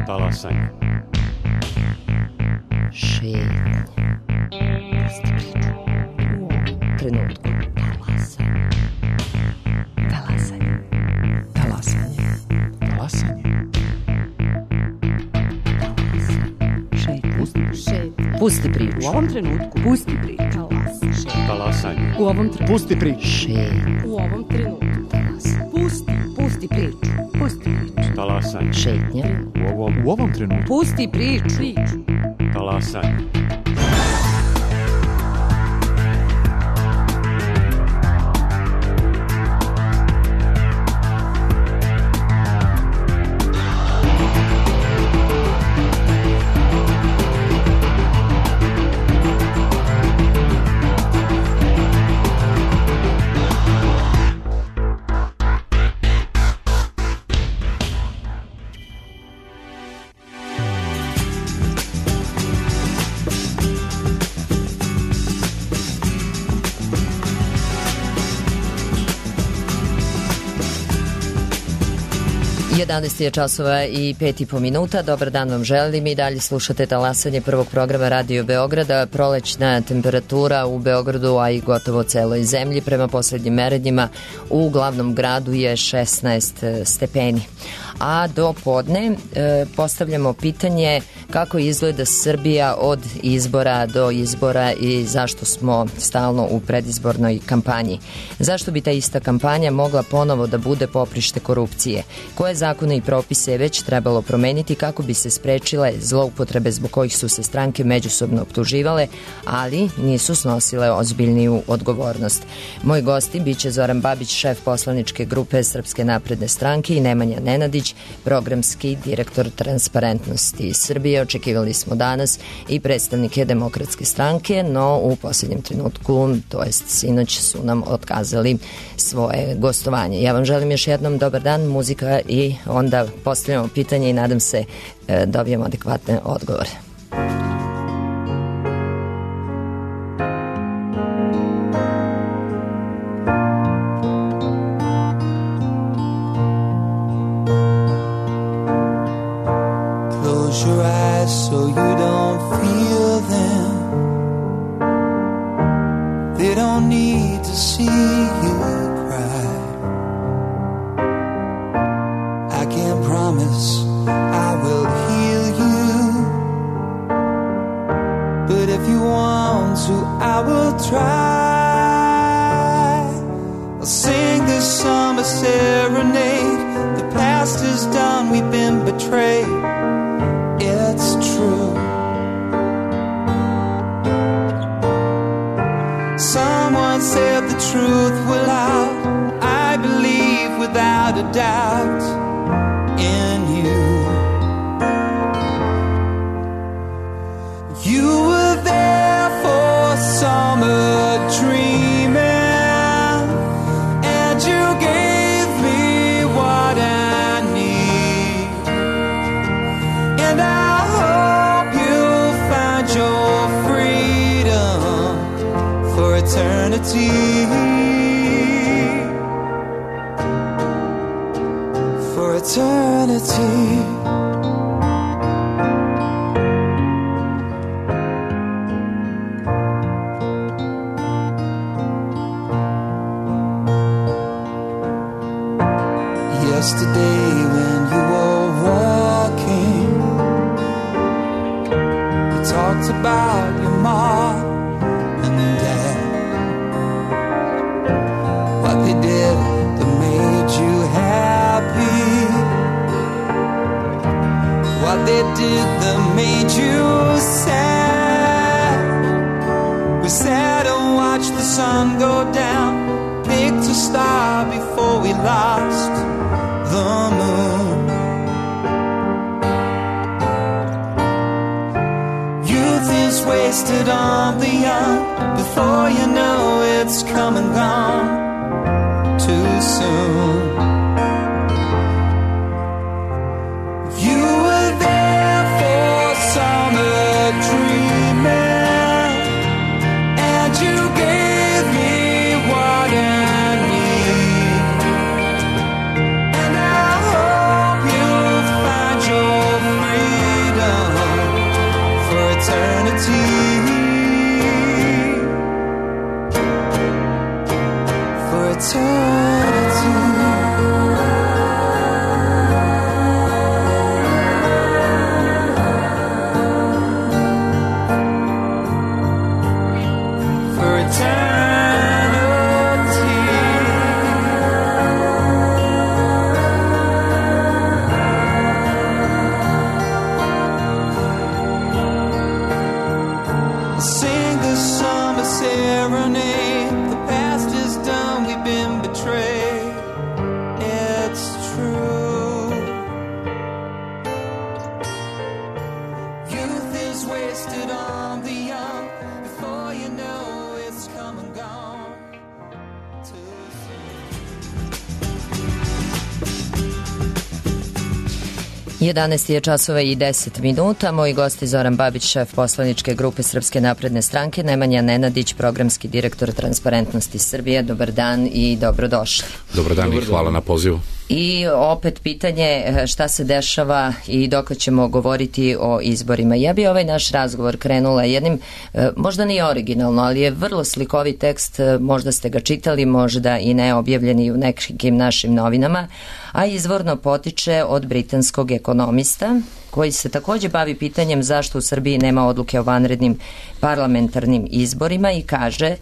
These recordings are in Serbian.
Talasanje. Šetnje. Trenutku. Talasanje. Talasanje. Talasanje. Pusti priču. U ovom trenutku. Pusti priču. Talasanje. U ovom trenutku. Pusti priču. Šetnje. U ovom trenutku. Pusti priču. Pusti priču. Talasanje. Šetnje. U ovom trenutku. Pusti priču. Talasanje. Jedanaest je časova i 5,5 minuta. Dobar dan vam želim i dalje slušate talasanje prvog programa Radio Beograda. Prolećna temperatura u Beogradu, a i gotovo celoj zemlji prema poslednjim merenjima u glavnom gradu je 16 stepeni. A do podne postavljamo pitanje kako izgleda Srbija od izbora do izbora i zašto smo stalno u predizbornoj kampanji. Zašto bi ta ista kampanja mogla ponovo da bude poprište korupcije? Koje zakone i propise je već trebalo promeniti kako bi se sprečile zloupotrebe zbog kojih su se stranke međusobno optuživale, ali nisu snosile ozbiljniju odgovornost? Moji gosti biće Zoran Babić, šef poslaničke grupe Srpske napredne stranke, i Nemanja Nenadić, programski direktor Transparentnosti Srbije. Očekivali smo danas i predstavnike Demokratske stranke, no u posljednjem trenutku, to jest sinoć, su nam otkazali svoje gostovanje. Ja vam želim još jednom dobar dan, muzika, i onda postavljamo pitanje i nadam se dobijemo adekvatne odgovore. Your eyes so you don't feel them. They don't need to see you cry. I can't promise I will heal you, but if you want to, I will try. I'll sing this summer serenade. The past is done, we've been betrayed. It's true. Someone said the truth will out. I believe without a doubt in you. You were there for summer dreaming, and you gave me what I need. And I hope you'll find your freedom for eternity. For eternity. Yesterday when you were walking, you talked about your mom and dad, what they did that made you happy, what they did that made you sad. We sat and watched the sun go down, picked a star before we lost the moon. Youth is wasted on the young. Before you know it's come and gone too soon. You were there for summer dreaming, and you gave me what I need. And I hope you'll find your freedom eternity. Jedanaest je časova i 10 minuta. Moji gosti Zoran Babić, šef poslaničke grupe Srpske napredne stranke, Nemanja Nenadić, programski direktor Transparentnosti Srbije. Dobar dan i dobrodošli. Dobar dan i hvala na pozivu. I opet pitanje šta se dešava i dok ćemo govoriti o izborima. Ja bi ovaj naš razgovor krenula jednim, možda nije originalno, ali je vrlo slikovit tekst, možda ste ga čitali, možda i ne, objavljeni u nekim našim novinama, a izvorno potiče od britanskog ekonomista koji se takođe bavi pitanjem zašto u Srbiji nema odluke o vanrednim parlamentarnim izborima i kaže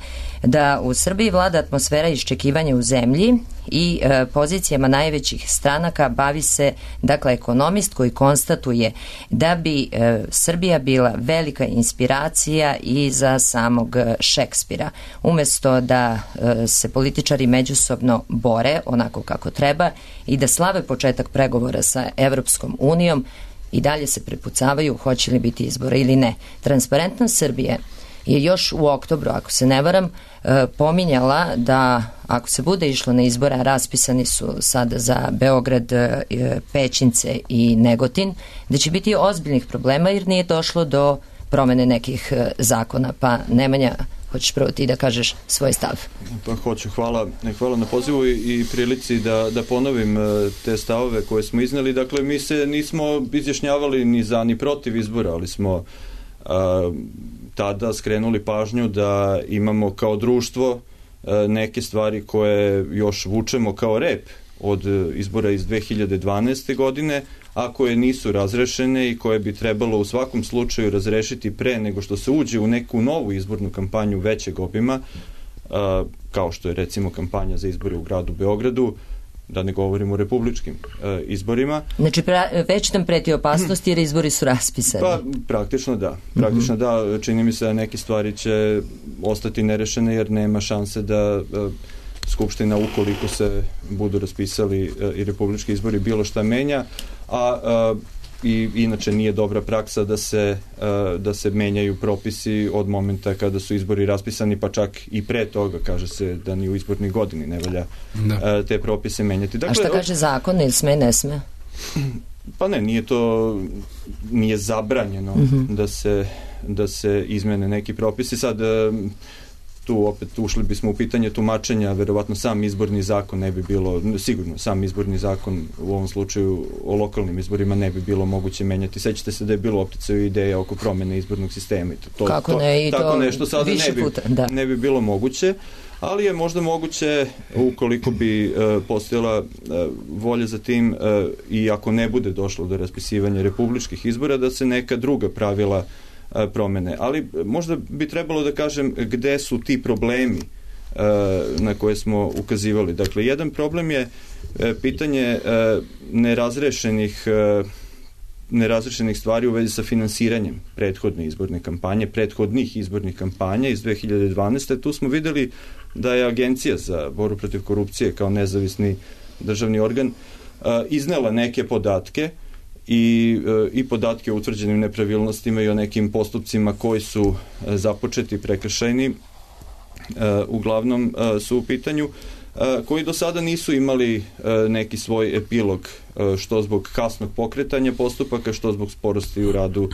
da u Srbiji vlada atmosfera iščekivanja u zemlji i pozicijama najvećih stranaka bavi se, dakle, ekonomist koji konstatuje da bi Srbija bila velika inspiracija i za samog Šekspira. Umesto da se političari međusobno bore onako kako treba i da slave početak pregovora sa Evropskom unijom, i dalje se prepucavaju hoće li biti izbora ili ne. Transparentnost Srbije je još u oktobru, ako se ne varam, pominjala da ako se bude išlo na izbora, raspisani su sada za Beograd, Pećince i Negotin, da će biti ozbiljnih problema jer nije došlo do promene nekih zakona. Pa Nemanja, hoćeš prvo ti da kažeš svoj stav? Pa hoću, hvala na pozivu i prilici da ponovim te stavove koje smo izneli. Dakle, mi se nismo izjašnjavali ni za ni protiv izbora, ali smo tada skrenuli pažnju da imamo kao društvo neke stvari koje još vučemo kao rep od izbora iz 2012. godine, a koje nisu razrešene i koje bi trebalo u svakom slučaju razrešiti pre nego što se uđe u neku novu izbornu kampanju većeg obima, kao što je recimo kampanja za izbore u gradu Beogradu, da ne govorimo o republičkim izborima. Znači, već nam preti opasnost jer izbori su raspisani. Pa, praktično da. Praktično da. Čini mi se da neke stvari će ostati nerešene jer nema šanse da Skupština, ukoliko se budu raspisali i republički izbori, bilo šta menja, a i inače nije dobra praksa da se menjaju propisi od momenta kada su izbori raspisani, pa čak i pre toga. Kaže se da ni u izbornoj godini ne valja te propise menjati. Dakle, a šta kaže zakon, ili sme, ne sme? Pa ne, nije zabranjeno da se izmene neki propisi. Sad tu opet ušli bismo u pitanje tumačenja, verovatno sam izborni zakon ne bi bilo, sigurno sam izborni zakon u ovom slučaju o lokalnim izborima ne bi bilo moguće menjati. Sećate se da je bilo opticaju ideja oko promene izbornog sistema. Kako ne, i to nešto sada ne bi bilo moguće, ali je možda moguće ukoliko bi postojala volja za tim i ako ne bude došlo do raspisivanja republičkih izbora, da se neka druga pravila promene. Ali možda bi trebalo da kažem gde su ti problemi na koje smo ukazivali. Dakle, jedan problem je pitanje nerazrešenih stvari u vezi sa finansiranjem prethodnih izbornih kampanja iz 2012. Tu smo videli da je Agencija za borbu protiv korupcije kao nezavisni državni organ iznela neke podatke i podatke o utvrđenim nepravilnostima i o nekim postupcima koji su započeti prekršajni, uglavnom su u pitanju, koji do sada nisu imali neki svoj epilog, što zbog kasnog pokretanja postupaka, što zbog sporosti u radu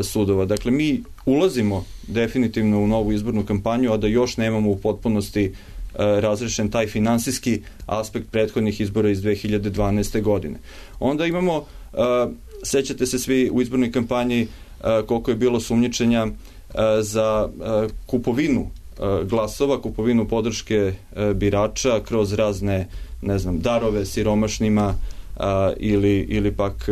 sudova. Dakle, mi ulazimo definitivno u novu izbornu kampanju, a da još nemamo u potpunosti razrešen taj finansijski aspekt prethodnih izbora iz 2012. godine. Onda imamo, sećate se svi u izbornoj kampanji koliko je bilo sumnjičenja za kupovinu glasova, kupovinu podrške birača kroz razne, ne znam, darove siromašnima ili pak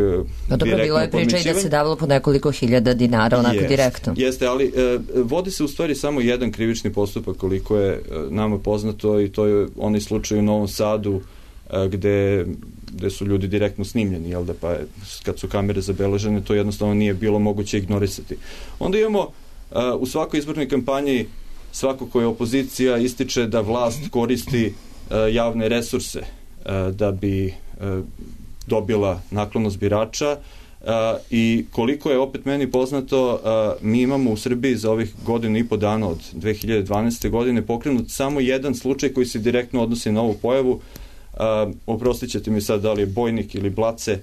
direktno bilo je priča i da se davalo po nekoliko hiljada dinara onako direktno. Jeste, ali vodi se u stvari samo jedan krivični postupak koliko je nama poznato i to je onaj slučaj u Novom Sadu gde su ljudi direktno snimljeni, jel da, pa kad su kamere zabeležene to jednostavno nije bilo moguće ignorisati. Onda imamo u svakoj izbornoj kampanji svako ko je opozicija ističe da vlast koristi javne resurse da bi dobila naklonost birača i koliko je opet meni poznato, mi imamo u Srbiji za ovih godinu i po dana od 2012. godine pokrenut samo jedan slučaj koji se direktno odnosi na ovu pojavu. Oprostit ćete mi sad da li je Bojnik ili Blace,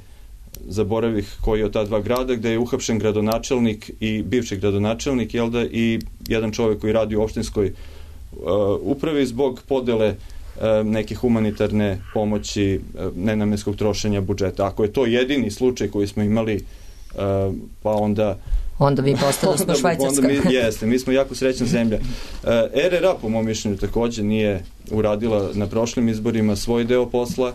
zaboravih koji je od ta dva grada, gde je uhapšen gradonačelnik i bivši gradonačelnik, jel da, i jedan čovjek koji radi u opštinskoj upravi zbog podele neke humanitarne pomoći, nenamenskog trošenja budžeta. Ako je to jedini slučaj koji smo imali, pa onda mi postali smo Švajcarska. Jeste, mi smo jako srećna zemlja. RRA, po mom mišljenju, također nije uradila na prošlim izborima svoj deo posla,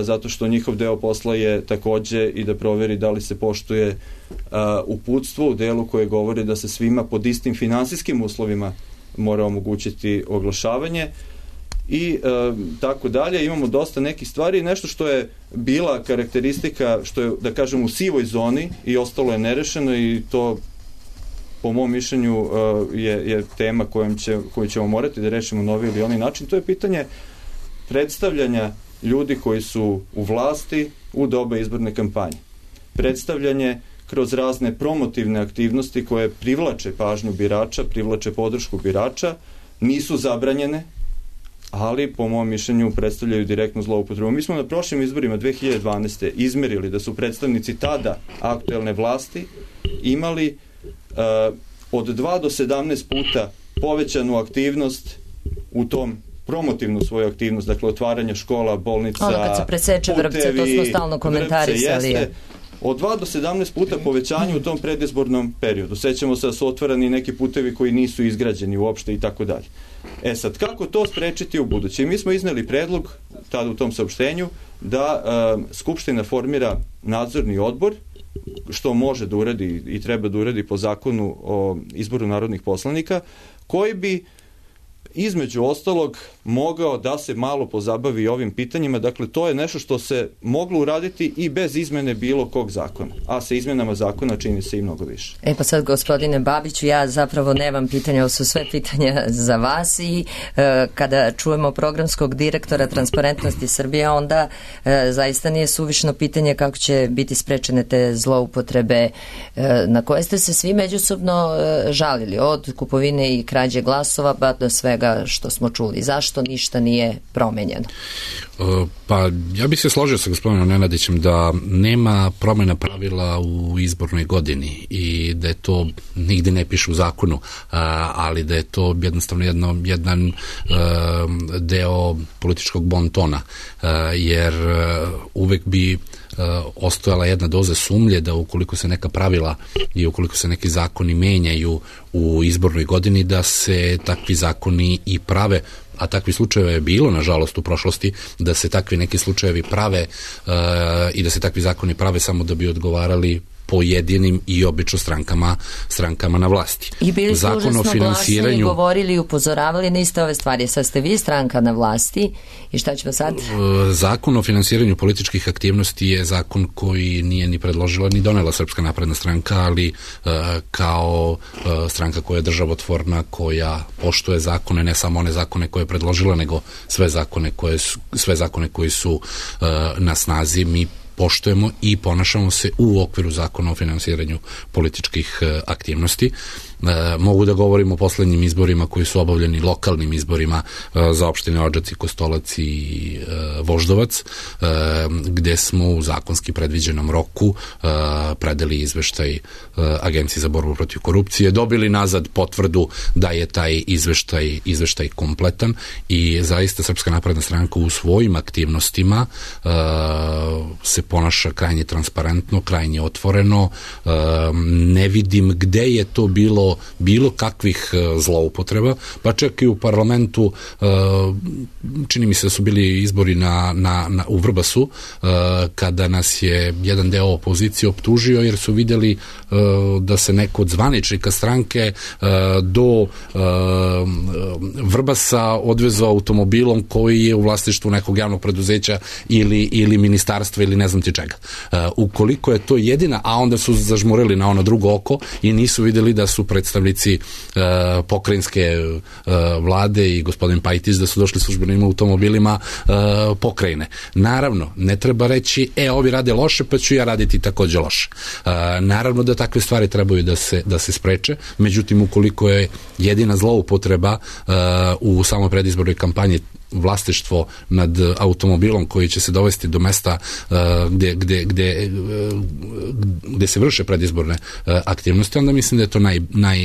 zato što njihov deo posla je također i da proveri da li se poštuje uputstvo u delu koje govori da se svima pod istim finansijskim uslovima mora omogućiti oglašavanje i tako dalje. Imamo dosta nekih stvari, nešto što je bila karakteristika, što je, da kažem, u sivoj zoni i ostalo je nerešeno i to po mom mišljenju je tema koju ćemo morati da rešimo na ovaj ili onaj način. To je pitanje predstavljanja ljudi koji su u vlasti u doba izborne kampanje. Predstavljanje kroz razne promotivne aktivnosti koje privlače pažnju birača, privlače podršku birača, nisu zabranjene, ali po mom mišljenju predstavljaju direktnu zloupotrebu. Mi smo na prošlim izborima 2012. izmerili da su predstavnici tada aktuelne vlasti imali od 2 do 17 puta povećanu aktivnost u tom promotivnu svoju aktivnost, dakle otvaranje škola, bolnica, kad se preseče vrpce, to smo stalno komentarisali. Od 2 do 17 puta povećanje u tom predizbornom periodu. Sećamo se da su otvarani neki putevi koji nisu izgrađeni uopšte i tako dalje. Sad, kako to sprečiti u buduće? Mi smo izneli predlog tada u tom saopštenju da Skupština formira nadzorni odbor, što može da uradi i treba da uradi po zakonu o izboru narodnih poslanika, koji bi između ostalog mogao da se malo pozabavi ovim pitanjima. Dakle, to je nešto što se moglo uraditi i bez izmene bilo kog zakona. A sa izmenama zakona čini se i mnogo više. Pa sad, gospodine Babiću, ja zapravo nemam pitanja, ovo su sve pitanja za vas i kada čujemo programskog direktora Transparentnosti Srbije, onda zaista nije suvišno pitanje kako će biti sprečene te zloupotrebe na koje ste se svi međusobno žalili, od kupovine i krađe glasova pa do svega što smo čuli. Zašto ništa nije promenjeno? Pa ja bih se složio sa gospodinom Nenadićem da nema promjena pravila u izbornoj godini i da je to nigde ne piše u zakonu, ali da je to jednostavno jedan deo političkog bontona, jer uvek bi ostojala jedna doza sumnje da ukoliko se neka pravila i ukoliko se neki zakoni menjaju u izbornoj godini, da se takvi zakoni i prave, a takvi slučajeva je bilo, nažalost, u prošlosti, da se takvi neki slučajevi prave i da se takvi zakoni prave samo da bi odgovarali pojedinim i obično strankama na vlasti. I bili su užasno glasni i govorili i upozoravali na iste ove stvari. Sad ste vi stranka na vlasti i šta ćemo sad? Zakon o finansiranju političkih aktivnosti je zakon koji nije ni predložila ni donela Srpska napredna stranka, ali kao stranka koja je državotvorna, koja poštuje zakone, ne samo one zakone koje je predložila, nego sve zakone koji su na snazi, mi poštujemo i ponašamo se u okviru zakona o finansiranju političkih aktivnosti. Mogu da govorim o poslednjim izborima koji su obavljeni, lokalnim izborima za opštine Odžaci, Kostolac i Voždovac, gde smo u zakonski predviđenom roku predali izveštaj Agenciji za borbu protiv korupcije, dobili nazad potvrdu da je taj izveštaj kompletan i zaista Srpska napredna stranka u svojim aktivnostima se ponaša krajnje transparentno, krajnje otvoreno. Ne vidim gde je to bilo do bilo kakvih zloupotreba, pa čak i u parlamentu, čini mi se da su bili izbori u Vrbasu, kada nas je jedan deo opozicije optužio jer su vidjeli da se neko od zvaničnika stranke do Vrbasa odvezao automobilom koji je u vlasništvu nekog javnog preduzeća ili ministarstva ili ne znam ti čega. Ukoliko je to jedina, a onda su zažmurili na ono drugo oko i nisu vidjeli da su predstavnici pokrajinske vlade i gospodin Pajtić da su došli službenim automobilima pokrajine. Naravno, ne treba reći ovi rade loše pa ću ja raditi takođe loše. Naravno da takve stvari trebaju da se spreče, međutim ukoliko je jedina zloupotreba u samoj predizbornoj kampanji vlasništvo nad automobilom koji će se dovesti do mesta gde se vrše predizborne aktivnosti, onda mislim da je to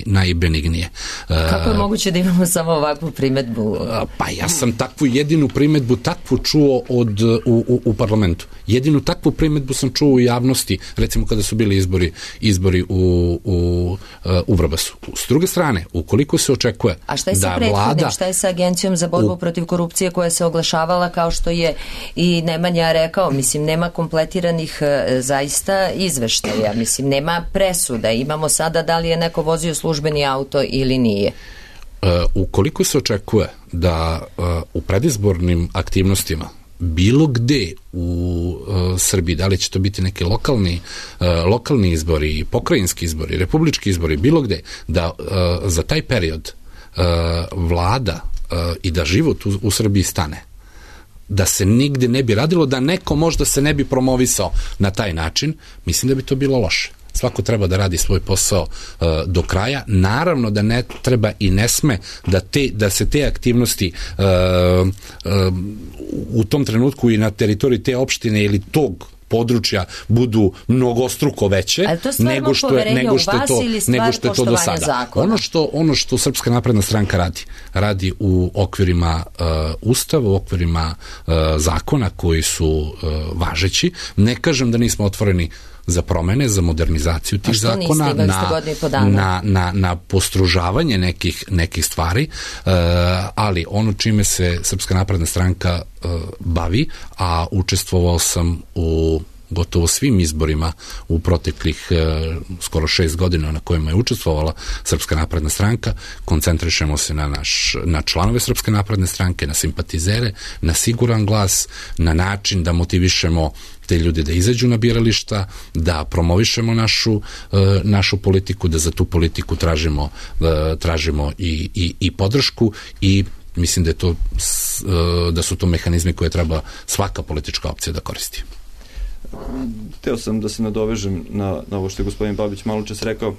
najbenignije. Kako je moguće da imamo samo ovakvu primetbu? Pa ja sam takvu jedinu primetbu čuo u parlamentu. Jedinu takvu primetbu sam čuo u javnosti, recimo kada su bili izbori u Vrbasu. S druge strane, ukoliko se očekuje a šta je sa prethodnim, šta je sa Agencijom za borbu protiv korupcije koja se oglašavala kao što je i Nemanja rekao, mislim, nema kompletiranih zaista izveštaja, mislim, nema presuda, imamo sada da li je neko vozio službeni auto ili nije. Ukoliko se očekuje da u predizbornim aktivnostima bilo gde u Srbiji, da li će to biti neki lokalni izbori, pokrajinski izbori, republički izbori, bilo gde, da za taj period vlada i da život u Srbiji stane, da se nigde ne bi radilo, da neko možda se ne bi promovisao na taj način, mislim da bi to bilo loše. Svako treba da radi svoj posao do kraja. Naravno da ne treba i ne sme da se te aktivnosti u tom trenutku i na teritoriji te opštine ili tog područja budu mnogostruko veće nego što je to do sada. Ono što Srpska napredna stranka radi u okvirima Ustava, u okvirima zakona koji su važeći. Ne kažem da nismo otvoreni za promene, za modernizaciju tih zakona, na postružavanje nekih stvari, ali ono čime se Srpska napredna stranka bavi, a učestvovao sam u gotovo svim izborima u proteklih skoro 6 godina na kojima je učestvovala Srpska napredna stranka, koncentrišemo se na članove Srpske napredne stranke, na simpatizere, na siguran glas, na način da motivišemo te ljude da izađu na birališta, da promovišemo našu politiku, da za tu politiku tražimo i podršku i mislim da su to mehanizmi koje treba svaka politička opcija da koristi. Hteo sam da se nadovežem na ovo što je gospodin Babić malo čas rekao.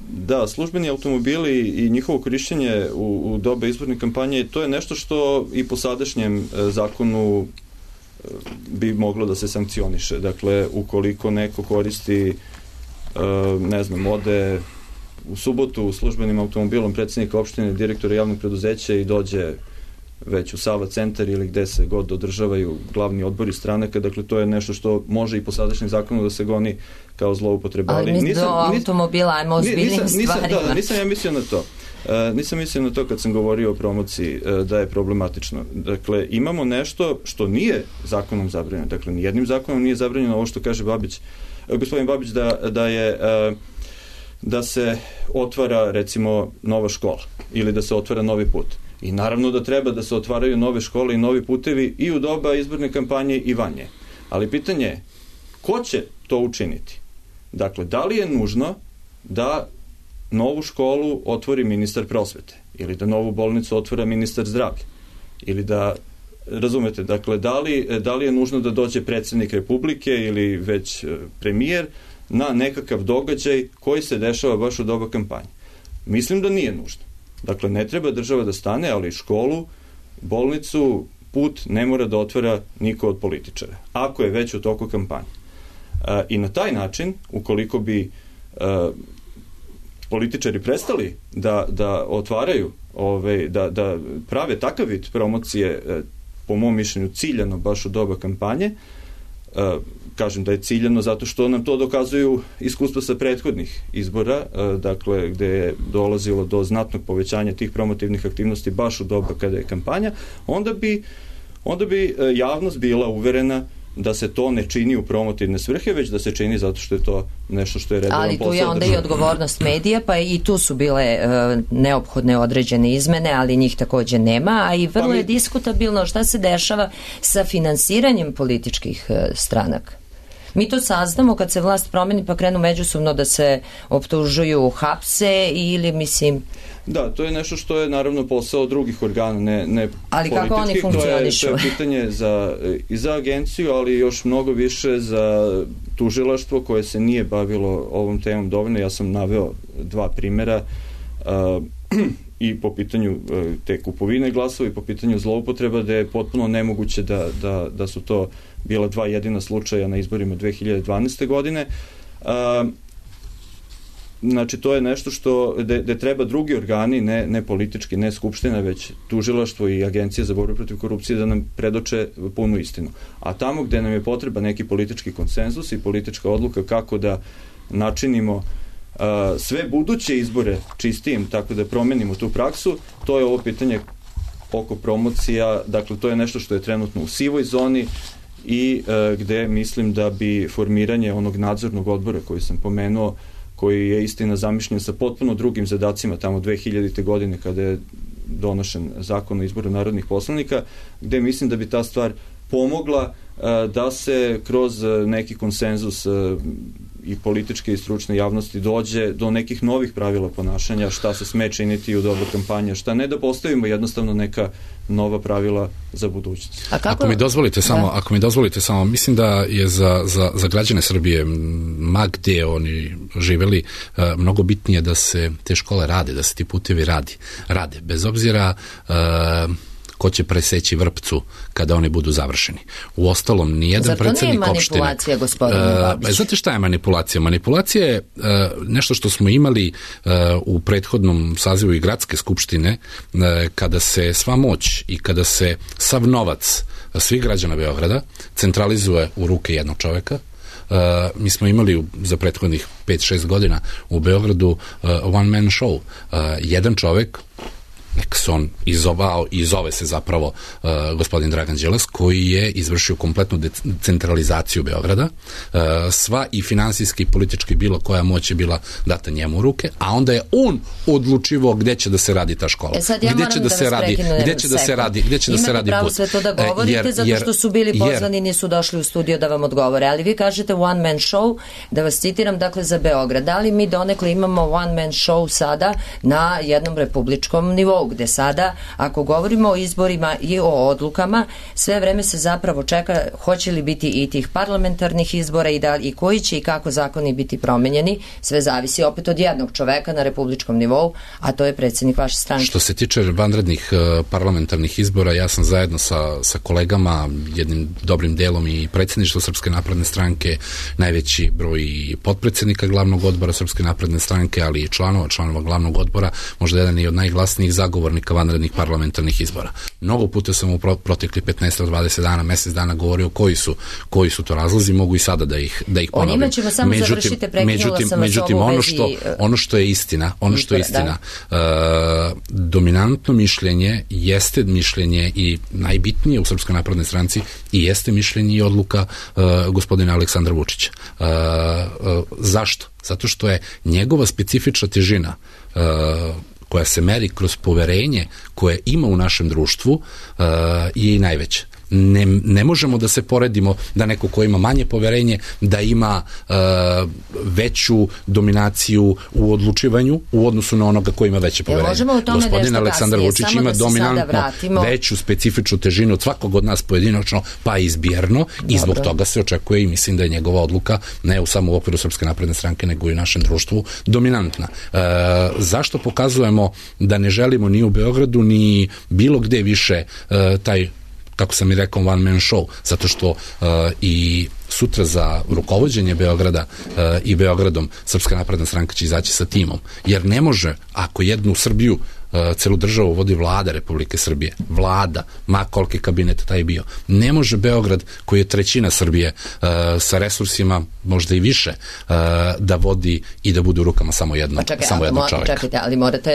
Da, službeni automobili i njihovo korišćenje u doba izborne kampanje, to je nešto što i po sadašnjem zakonu bi moglo da se sankcioniše. Dakle, ukoliko neko koristi, ne znam, ode u subotu službenim automobilom predsjednika opštine, direktora javnog preduzeća i dođe već u Sava centar ili gde se god održavaju glavni odbori stranaka, dakle to je nešto što može i po sadašnjem zakonu da se goni kao zloupotreba. Ali mi do automobila, ajmo o zbiljnim stvarima. Da, nisam ja mislio na to. Nisam mislio na to kad sam govorio o promociji da je problematično. Dakle, imamo nešto što nije zakonom zabranjeno. Dakle, nijednim zakonom nije zabranjeno ovo što kaže gospodin Babić da se otvara recimo nova škola ili da se otvara novi put. I naravno da treba da se otvaraju nove škole i novi putevi i u doba izborne kampanje i van nje. Ali pitanje je, ko će to učiniti? Dakle, da li je nužno da novu školu otvori ministar prosvete ili da novu bolnicu otvara ministar zdravlja? Ili da, razumete, dakle, da li je nužno da dođe predsjednik Republike ili već premijer na nekakav događaj koji se dešava baš u doba kampanje? Mislim da nije nužno. Dakle, ne treba država da stane, ali školu, bolnicu, put ne mora da otvara niko od političara, ako je već u toku kampanje. I na taj način, ukoliko bi političari prestali da otvaraju, da prave takav vid promocije, po mom mišljenju ciljano baš u doba kampanje, kažem da je ciljano zato što nam to dokazuju iskustva sa prethodnih izbora, dakle gde je dolazilo do znatnog povećanja tih promotivnih aktivnosti baš u doba kada je kampanja, onda bi javnost bila uverena da se to ne čini u promotivne svrhe, već da se čini zato što je to nešto što je redovan posao. Ali tu je onda i odgovornost medija, pa i tu su bile neophodne određene izmene, ali njih takođe nema, a i vrlo je diskutabilno šta se dešava sa finansiranjem političkih stranaka. Mi to saznamo kad se vlast promeni pa krenu međusobno da se optužuju, hapse ili mislim... Da, to je nešto što je naravno posao drugih organa, ne ali političkih. Kako oni funkcionišu? To je pitanje i za agenciju, ali još mnogo više za tužilaštvo koje se nije bavilo ovom temom dovoljno. Ja sam naveo 2 primera i po pitanju te kupovine glasova i po pitanju zloupotreba, da je potpuno nemoguće da su to bila 2 jedina slučaja na izborima 2012. godine. Znači, to je nešto što gde treba drugi organi, ne politički, ne skupština, već tužilaštvo i Agencija za borbu protiv korupcije da nam predoče punu istinu. A tamo gde nam je potreba neki politički konsenzus i politička odluka kako da načinimo sve buduće izbore čistijim, tako da promenimo tu praksu, to je ovo pitanje oko promocija, dakle to je nešto što je trenutno u sivoj zoni i gde mislim da bi formiranje onog nadzornog odbora koji sam pomenuo, koji je istina zamišljen sa potpuno drugim zadacima tamo 2000. godine kada je donošen zakon o izboru narodnih poslanika, gde mislim da bi ta stvar pomogla da se kroz neki konsenzus i političke i stručne javnosti dođe do nekih novih pravila ponašanja, šta se sme činiti u doba kampanja, šta ne, da postavimo jednostavno neka nova pravila za budućnost. Ako mi dozvolite samo, mislim da je za građane Srbije, ma gde oni živeli, mnogo bitnije da se te škole rade, da se ti putevi rade, bez obzira ko će preseći vrpcu kada oni budu završeni. U ostalom, nijedan predsednik opštine... Zar to nije manipulacija, gospodine Babić? Znate šta je manipulacija? Manipulacija je nešto što smo imali u prethodnom sazivu i gradske skupštine, kada se sva moć i kada se sav novac svih građana Beograda centralizuje u ruke jednog čoveka. Mi smo imali za prethodnih 5-6 godina u Beogradu one man show. Jedan čovek, nek se on izovao i zove se zapravo gospodin Dragan Đilas, koji je izvršio kompletnu decentralizaciju Beograda, sva i finansijski i politički bilo koja moć je bila data njemu u ruke, a onda je on odlučivao gde će da se radi ta škola. Gde će da se radi put. Imate pravo sve to da govorite, zato što su bili pozvani, nisu došli u studio da vam odgovore, ali vi kažete one man show, da vas citiram, dakle za Beograd. Da li mi donekle imamo one man show sada na jednom republičkom nivou, gde sada, ako govorimo o izborima i o odlukama, sve vreme se zapravo čeka hoće li biti i tih parlamentarnih izbora i koji će i kako zakoni biti promenjeni, sve zavisi opet od jednog čoveka na republičkom nivou, a to je predsjednik vaše stranke. Što se tiče vanrednih parlamentarnih izbora, ja sam zajedno sa kolegama, jednim dobrim delom i predsjedništvo Srpske napredne stranke, najveći broj potpredsjednika glavnog odbora Srpske napredne stranke, ali i članova glavnog odbora, možda jedan i od najglasnijih zagovornika vanrednih parlamentarnih izbora. Mnogo puta sam u protekli 15-20 dana, mesec dana govorio koji su to razlozi, mogu i sada da ih ponovim. O njima ćemo samo završite, prekinula sam vas ovu vezi. Ono što je istina, dominantno mišljenje jeste mišljenje i najbitnije u Srpskoj naprednoj stranci i jeste mišljenje i odluka gospodina Aleksandra Vučića. Zašto? Zato što je njegova specifična težina koja se meri kroz poverenje koje ima u našem društvu je i najveća. Ne možemo da se poredimo da neko ko ima manje poverenje da ima veću dominaciju u odlučivanju u odnosu na onoga ko ima veće poverenje. Gospodin Aleksandar Vučić ima dominantno veću specifičnu težinu od svakog od nas pojedinačno, pa izbjerno, i zbog toga se očekuje i mislim da je njegova odluka ne samo u okviru Srpske napredne stranke nego i u našem društvu dominantna. Zašto pokazujemo da ne želimo ni u Beogradu ni bilo gde više taj, kako sam i rekao, one man show, zato što i sutra za rukovođenje Beograda i Beogradom Srpska napredna stranka će izaći sa timom, jer ne može, ako jednu Srbiju celu državu vodi vlada Republike Srbije. Vlada, ma koliki kabinet taj bio. Ne može Beograd, koji je trećina Srbije, sa resursima možda i više, da vodi i da bude u rukama samo jednog čovjeka. Čekajte, ali morate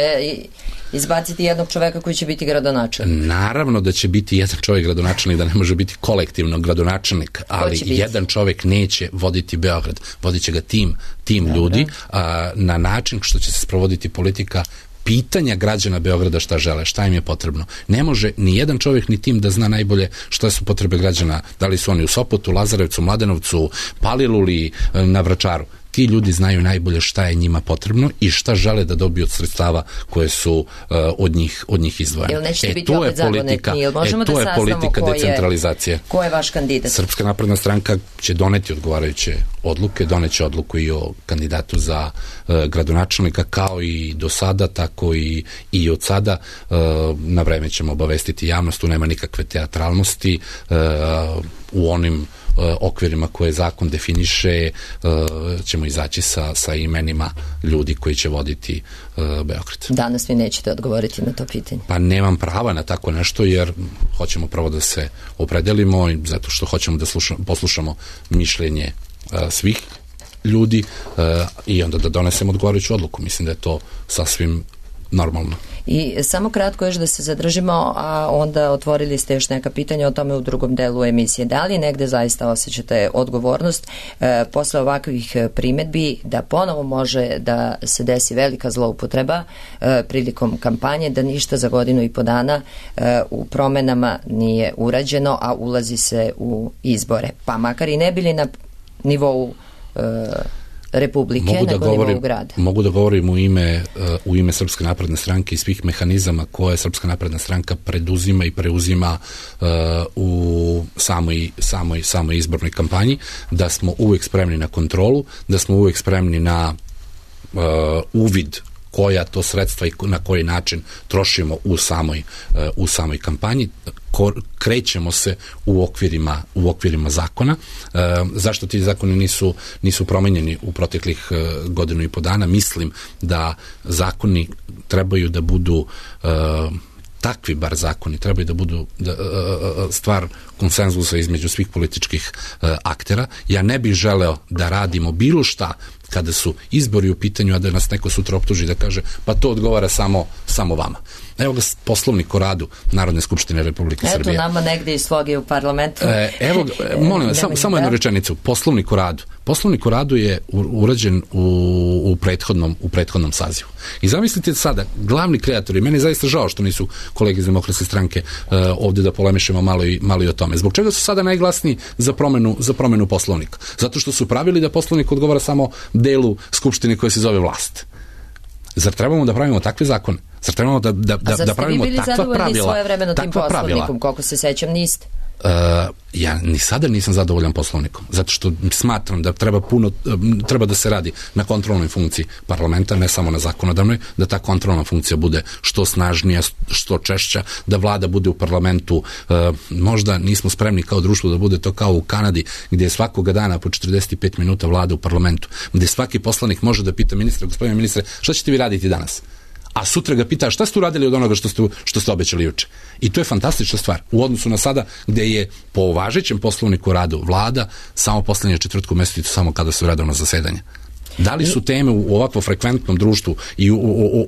izbaciti jednog čoveka koji će biti gradonačelnik. Naravno da će biti jedan čovjek gradonačelnik, da ne može biti kolektivno gradonačelnik, ali jedan čovjek neće voditi Beograd. Vodit će ga tim ljudi na način što će se sprovoditi politika pitanja građana Beograda šta žele, šta im je potrebno. Ne može ni jedan čovjek ni tim da zna najbolje šta su potrebe građana, da li su oni u Sopotu, Lazarevcu, Mladenovcu, Paliluli, na Vračaru. Ti ljudi znaju najbolje šta je njima potrebno i šta žele da dobiju od sredstava koje su od njih izdvojene. Jel nećete biti opet zagonetni? Jel možemo da saznamo politika decentralizacije. Ko je vaš kandidat? Srpska napredna stranka će doneti odgovarajuće odluke, doneće odluku i o kandidatu za gradonačelnika, kao i do sada, tako i od sada. Na vreme ćemo obavestiti javnost, tu nema nikakve teatralnosti, u onim okvirima koje zakon definiše ćemo izaći sa imenima ljudi koji će voditi Beograd. Danas vi nećete odgovoriti na to pitanje. Pa nemam prava na tako nešto, jer hoćemo prvo da se opredelimo, zato što hoćemo da poslušamo mišljenje svih ljudi i onda da donesemo odgovarajuću odluku. Mislim da je to sasvim normalno. I samo kratko još da se zadržimo, a onda otvorili ste još neka pitanja o tome u drugom delu emisije. Da li negde zaista osjećate odgovornost posle ovakvih primetbi da ponovo može da se desi velika zloupotreba prilikom kampanje, da ništa za godinu i po dana u promenama nije urađeno, a ulazi se u izbore? Pa makar i ne bili na nivou Republike, nego nivou grada. Mogu da govorim u ime Srpske napredne stranke i svih mehanizama koje Srpska napredna stranka preduzima i preuzima u samoj izbornoj kampanji, da smo uvijek spremni na kontrolu, da smo uvijek spremni na uvid koja to sredstva i na koji način trošimo u samoj kampanji. Krećemo se u okvirima zakona. Zašto ti zakoni nisu promenjeni u proteklih godinu i po dana? Mislim da zakoni trebaju da budu takvi, bar zakoni, trebaju da budu stvar konsenzusa između svih političkih aktera. Ja ne bih želeo da radimo bilo šta kada su izbori u pitanju, a da nas neko sutra optuži da kaže pa to odgovara samo vama. Evo ga Poslovnik o radu Narodne skupštine Republike Srbije. Eto nama negde i sloge u parlamentu. Evo, molim vas, samo jednu rečenicu. Poslovnik o radu. Poslovnik o radu je urađen u prethodnom sazivu. I zamislite sada, glavni kreatori, meni je zaista žao što nisu kolege iz Demokratske stranke ovde da polemišemo malo i o tome. Zbog čega su sada najglasniji za promenu Poslovnika? Zato što su pravili da Poslovnik odgovara samo delu Skupštine koja se zove vlast. Zar trebamo da pravimo takve zakone? Zar trebamo da pravimo takva pravila? A zar ste vi bili zadovoljni svojevremeno tim Poslovnikom? Koliko se sećam, niste? Ja ni sada nisam zadovoljan Poslovnikom, zato što smatram da treba da se radi na kontrolnoj funkciji parlamenta, ne samo na zakonodavnoj, da ta kontrolna funkcija bude što snažnija, što češća, da vlada bude u parlamentu. Možda nismo spremni kao društvo da bude to kao u Kanadi, gdje je svakoga dana po 45 minuta vlada u parlamentu, gdje svaki poslanik može da pita ministra, gospodine ministre, šta ćete vi raditi danas? A sutra ga pita šta ste uradili od onoga što ste obećali juče. I to je fantastična stvar u odnosu na sada, gde je po važećem Poslovniku o radu vlada samo poslednje četvrtku meseca, samo kada su redovna zasedanja. Da li su teme u ovakvo frekventnom društvu i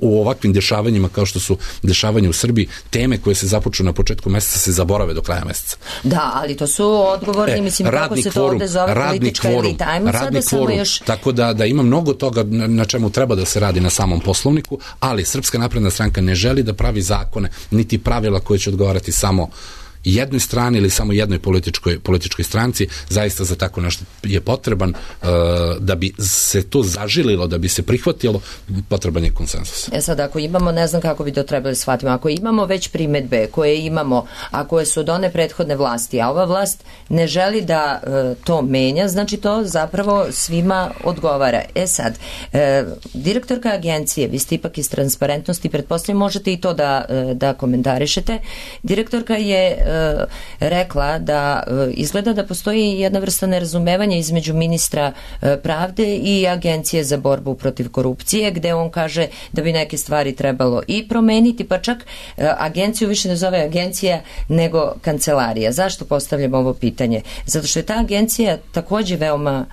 u ovakvim dešavanjima kao što su dešavanja u Srbiji, teme koje se započnu na početku meseca se zaborave do kraja meseca? Da, ali to su odgovorni, mislim, kako se to ovde zove, politička elita. Ajmo sada samo još... Tako da ima mnogo toga na čemu treba da se radi na samom Poslovniku, ali Srpska napredna stranka ne želi da pravi zakone, niti pravila koje će odgovarati samo jednoj strani ili samo jednoj političkoj stranci. Zaista za tako nešto je potreban, da bi se to zažililo, da bi se prihvatilo, potreban je konsenzus. Sad, ako imamo, ne znam kako bi to trebali shvatiti, ako imamo već primetbe koje imamo, a koje su od one prethodne vlasti, a ova vlast ne želi da to menja, znači to zapravo svima odgovara. Sad, direktorka agencije, vi ste ipak iz transparentnosti, pretpostavljam možete i to da komentarišete, direktorka je rekla da izgleda da postoji jedna vrsta nerazumevanja između ministra pravde i Agencije za borbu protiv korupcije, gde on kaže da bi neke stvari trebalo i promeniti, pa čak agenciju više ne zove agencija nego kancelarija. Zašto postavljam ovo pitanje? Zato što je ta agencija takođe veoma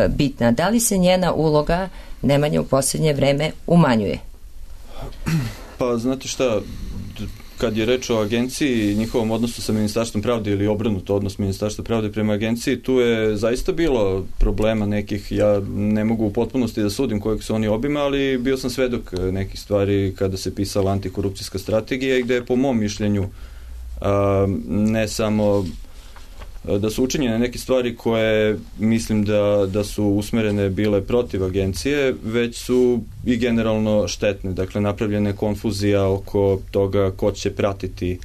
bitna. Da li se njena uloga Nemanja u posljednje vreme umanjuje? Pa znate šta, kad je reč o agenciji i njihovom odnosu sa Ministarstvom pravde ili obrnuto odnos Ministarstva pravde prema agenciji, tu je zaista bilo problema nekih, ja ne mogu u potpunosti da sudim kojeg su oni obima, ali bio sam svedok nekih stvari kada se pisala antikorupcijska strategija i gde je po mom mišljenju ne samo da su učinjene neke stvari koje mislim da su usmerene bile protiv agencije, već su i generalno štetne. Dakle, napravljena je konfuzija oko toga ko će pratiti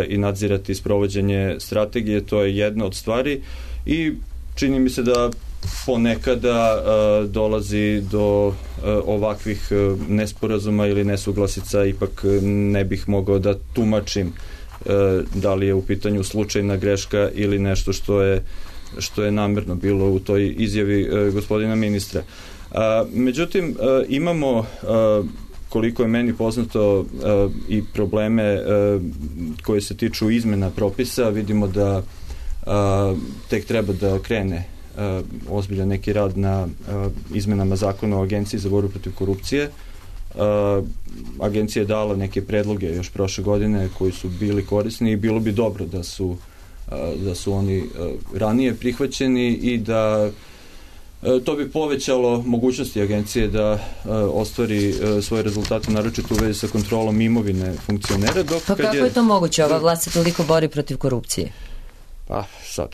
i nadzirati sprovođenje strategije, to je jedna od stvari i čini mi se da ponekada dolazi do ovakvih nesporazuma ili nesuglasica, ipak ne bih mogao da tumačim da li je u pitanju slučajna greška ili nešto što je namerno bilo u toj izjavi gospodina ministra. Međutim, imamo, koliko je meni poznato, i probleme koje se tiču izmena propisa. Vidimo da tek treba da krene ozbiljan neki rad na izmenama zakona o Agenciji za borbu protiv korupcije. Agencija je dala neke predloge još prošle godine koji su bili korisni i bilo bi dobro da su oni ranije prihvaćeni i da to bi povećalo mogućnosti agencije da ostvari svoje rezultate, naročito u vezi sa kontrolom imovine funkcionera. Pa kako je to moguće? Ova vlast se toliko bori protiv korupcije? Pa sad...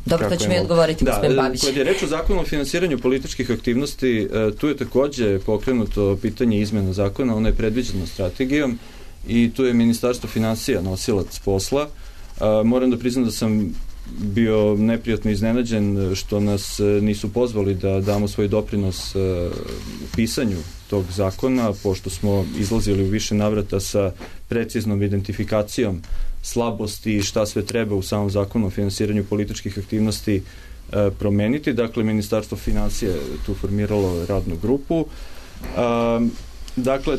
Dobro, to će mi odgovoriti gospodin Babić. Kad je reč o zakonu o finansiranju političkih aktivnosti, tu je takođe pokrenuto pitanje izmena zakona, ono je predviđeno strategijom i tu je Ministarstvo finansija nosilac posla. Moram da priznam da sam bio neprijatno iznenađen što nas nisu pozvali da damo svoj doprinos pisanju tog zakona, pošto smo izlazili u više navrata sa preciznom identifikacijom slabosti i šta sve treba u samom zakonu o finansiranju političkih aktivnosti promeniti. Dakle, Ministarstvo finansija je tu formiralo radnu grupu. Dakle,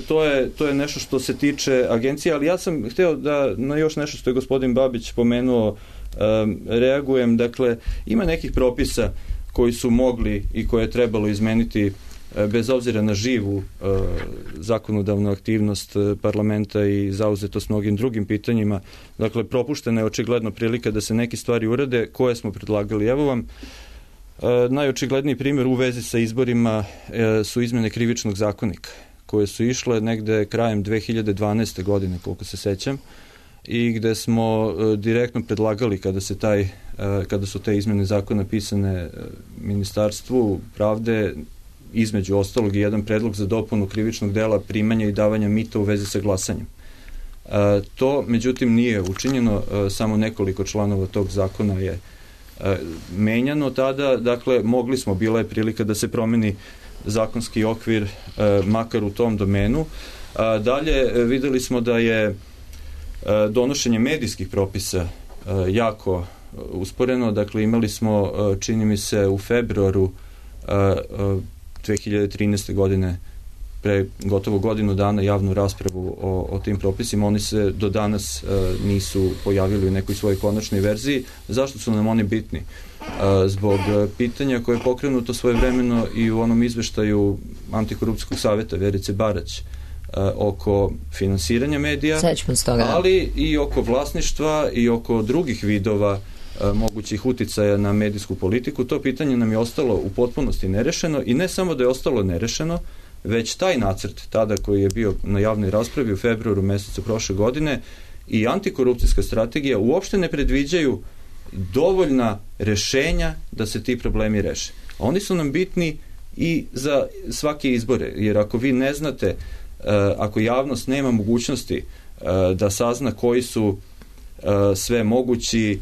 to je nešto što se tiče agencije, ali ja sam hteo da na još nešto što je gospodin Babić pomenuo reagujem. Dakle, ima nekih propisa koji su mogli i koje je trebalo izmeniti bez obzira na živu zakonodavnu aktivnost parlamenta i zauzetost mnogim drugim pitanjima. Dakle, propuštena je očigledno prilika da se neke stvari urade koje smo predlagali. Evo vam najočigledniji primjer u vezi sa izborima su izmene krivičnog zakonika koje su išle negde krajem 2012. godine, koliko se sećam, i gde smo direktno predlagali kada su te izmene zakona pisane Ministarstvu pravde, između ostalog i jedan predlog za dopunu krivičnog dela primanja i davanja mita u vezi sa glasanjem. To, međutim, nije učinjeno, samo nekoliko članova tog zakona je menjano tada, dakle, bila je prilika da se promeni zakonski okvir makar u tom domenu. Dalje, videli smo da je donošenje medijskih propisa jako usporeno, dakle, imali smo, čini mi se, u februaru 2013. godine pre gotovo godinu dana javnu raspravu o tim propisima. Oni se do danas nisu pojavili u nekoj svojoj konačnoj verziji. Zašto su nam oni bitni? Zbog pitanja koje je pokrenuto svojevremeno i u onom izveštaju Antikorupcijskog saveta Verice Barać oko finansiranja medija, ali i oko vlasništva i oko drugih vidova mogućih uticaja na medijsku politiku. To pitanje nam je ostalo u potpunosti nerešeno i ne samo da je ostalo nerešeno, već taj nacrt tada koji je bio na javnoj raspravi u februaru mesecu prošle godine i antikorupcijska strategija uopšte ne predviđaju dovoljna rešenja da se ti problemi reše. A oni su nam bitni i za svake izbore, jer ako vi ne znate, ako javnost nema mogućnosti da sazna koji su sve mogući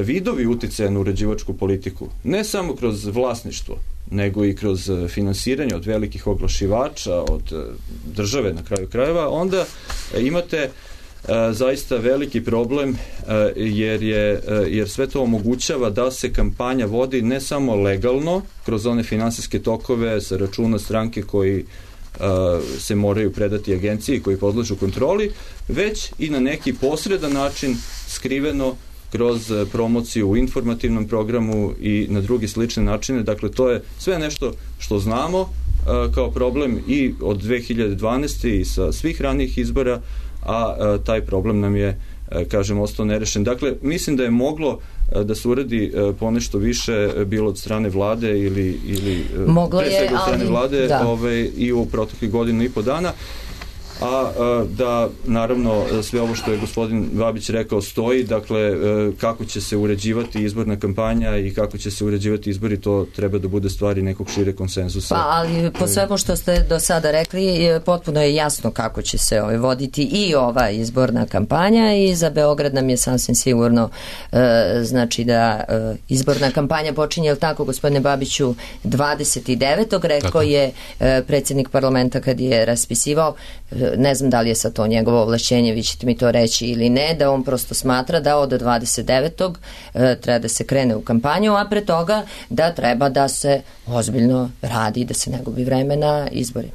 vidovi uticaja na uređivačku politiku, ne samo kroz vlasništvo, nego i kroz finansiranje od velikih oglašivača, od države na kraju krajeva, onda imate zaista veliki problem, jer sve to omogućava da se kampanja vodi ne samo legalno kroz one finansijske tokove sa računa stranke koji se moraju predati agenciji koji podležu kontroli, već i na neki posredan način skriveno kroz promociju u informativnom programu i na drugi slične načine. Dakle, to je sve nešto što znamo kao problem i od 2012. i sa svih ranijih izbora, a taj problem nam je, kažem, ostao nerešen. Dakle, mislim da je moglo da se uradi ponešto više, bilo od strane vlade ili pre svega od strane vlade, i u proteklih godinu i po dana, a da naravno sve ovo što je gospodin Babić rekao stoji, dakle kako će se uređivati izborna kampanja i kako će se uređivati izbori, to treba da bude stvari nekog šire konsenzusa. Pa, ali po svemu što ste do sada rekli, potpuno je jasno kako će se voditi i ova izborna kampanja i za Beograd nam je sasvim sigurno znači da izborna kampanja počinje, je li tako, gospodine Babiću, 29. rekao je predsjednik parlamenta kad je raspisivao, ne znam da li je sa to njegovo ovlašćenje, vi ćete mi to reći ili ne, da on prosto smatra da od 29. treba da se krene u kampanju, a pre toga da treba da se ozbiljno radi, da se ne gubi vreme na izborima.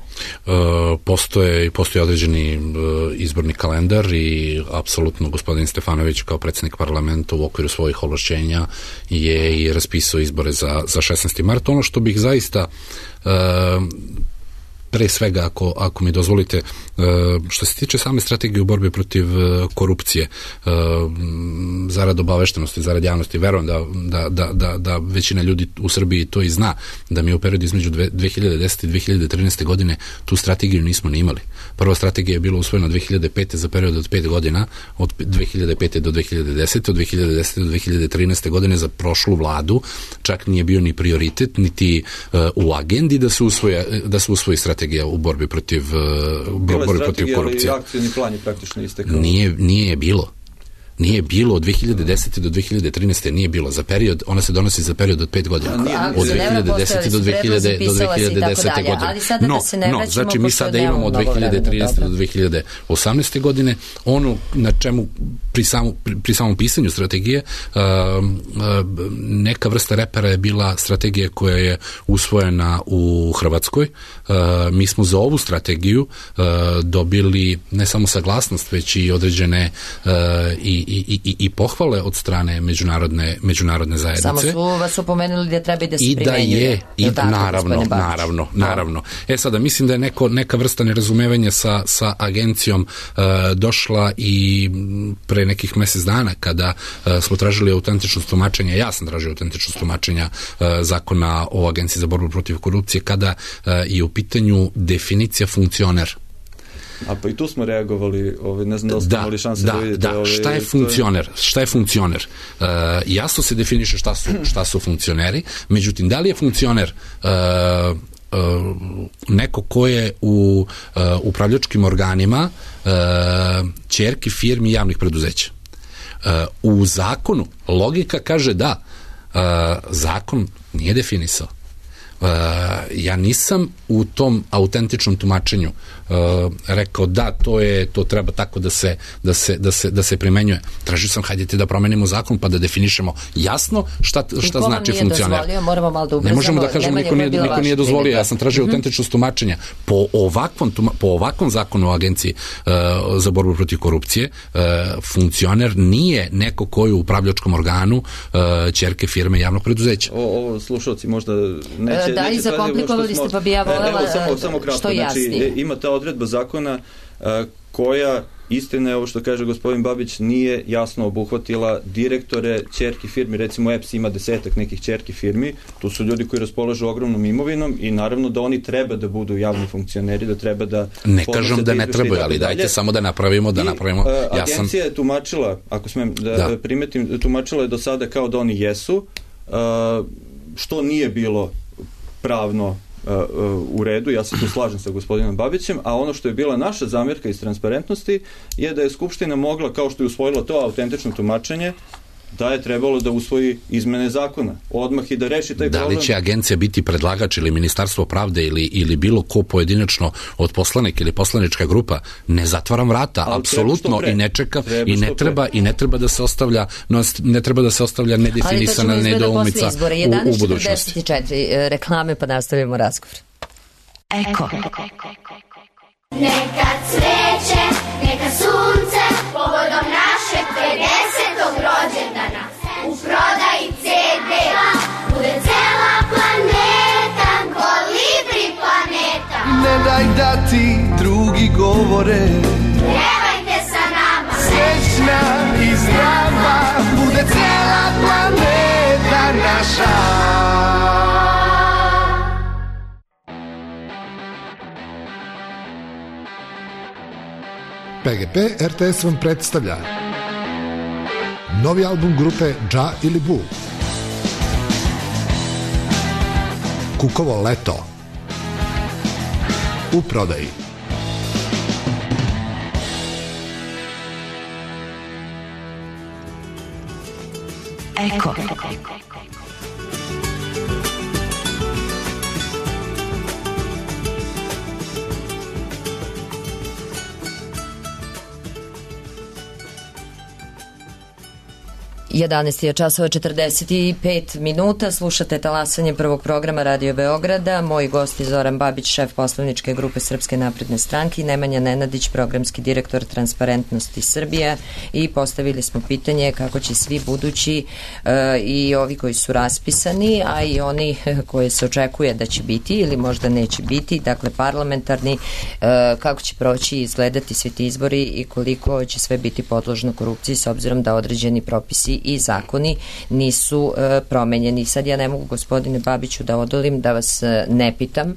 Postoje određeni izborni kalendar i apsolutno gospodin Stefanović kao predsjednik parlamenta u okviru svojih ovlašćenja je i raspisao izbore za 16. mart. Ono što bih zaista pre svega, ako mi dozvolite, što se tiče same strategije u borbi protiv korupcije, zarad obaveštenosti, zarad javnosti, verujem da većina ljudi u Srbiji to i zna, da mi u periodu između 2010. i 2013. godine tu strategiju nismo ni imali. Prva strategija je bila usvojena 2005. za period od 5 godina, od 2005. do 2010. od 2010. do 2013. godine za prošlu vladu, čak nije bio ni prioritet, niti u agendi da se usvoji strategija u borbi protiv korupcije. Ali akcijni plan je praktično istekao. Nije bilo. Nije bilo od 2010. do 2013. nije bilo za period, ona se donosi za period od 5 godina. Od 2010. do 2010. godine. No, znači mi sada imamo od 2013. do 2018. godine ono na čemu pri samom pisanju strategije neka vrsta repera je bila strategija koja je usvojena u Hrvatskoj. Mi smo za ovu strategiju dobili ne samo saglasnost, već i određene i pohvale od strane međunarodne zajednice. Samo su vas opomenuli da treba i da se primenjuje. Naravno. Sada, mislim da je neka vrsta nerazumevanja sa agencijom došla i pre nekih mesec dana kada smo tražili autentičnost tumačenja, ja sam tražio autentičnost tumačenja zakona o Agenciji za borbu protiv korupcije, kada je u pitanju definicija funkcioner. A pa i tu smo reagovali, ne znam da li ste imali šanse da vidite. Šta je funkcioner? Jasno se definiše šta su funkcioneri, međutim, da li je funkcioner neko ko je u upravljačkim organima ćerki firmi javnih preduzeća? U zakonu logika kaže da, zakon nije definisao. Ja nisam u tom autentičnom tumačenju rekao da to treba tako da se primenjuje. Tražio sam, hajdete da promenimo zakon pa da definišemo jasno šta znači funkcioner. Ne možemo da kažemo niko nije dozvolio, ja sam tražio autentičnost tumačenja. Po ovakvom zakonu o Agenciji za borbu protiv korupcije funkcioner nije neko koji u upravljačkom organu ćerke firme javnog preduzeća. Ovo slušalci možda neće i zakomplikovali ste, pa bi ja voljela samo kratko, što jasnije. Znači, ima ta odredba zakona koja, istina je ovo što kaže gospodin Babić, nije jasno obuhvatila direktore ćerki firmi. Recimo EPS ima 10-ak nekih ćerki firmi, tu su ljudi koji raspolažu ogromnom imovinom i naravno da oni treba da budu javni funkcioneri, da treba da... Ne kažem da ne trebaju, ali dajte samo da napravimo Agencija je tumačila, ako smem da primetim, tumačila je do sada kao da oni jesu, što nije bilo pravno u redu, ja se tu slažem sa gospodinom Babićem, a ono što je bila naša zamjerka iz transparentnosti je da je Skupština mogla, kao što je usvojila to autentično tumačenje, da je trebalo da usvoji izmene zakona odmah i da reši taj problem. Da li će agencija biti predlagač ili Ministarstvo pravde ili bilo ko pojedinačno od poslanika ili poslanička grupa, ne zatvaram vrata, apsolutno, i ne čeka i ne treba da se ostavlja nedefinisana nedoumica u budućnosti. 11:44 reklame, pa nastavljamo razgovor. Eko. Neka cveće, neka sunce, povodom našeg 50. rođendana. U prodaji CD bude cela planeta, Kolibri planeta. Ne daj da ti drugi govore, pjevajte sa nama. Srećna i zdrava bude cela planeta naša. PGP RTS vam predstavlja novi album grupe Dža ili Bu, Kukovo leto, u prodaji. Eko. 11 je časova 45 minuta, slušate talasanje prvog programa Radio Beograda. Moji gosti Zoran Babić, šef poslovničke grupe Srpske napredne stranke, i Nemanja Nenadić, programski direktor Transparentnosti Srbije, i postavili smo pitanje kako će svi budući i ovi koji su raspisani, a i oni koje se očekuje da će biti ili možda neće biti, dakle parlamentarni, kako će proći i izgledati svi ti izbori i koliko će sve biti podložno korupciji, s obzirom da određeni propisi i zakoni nisu promenjeni. Sad ja ne mogu, gospodine Babiću, da odolim da vas ne pitam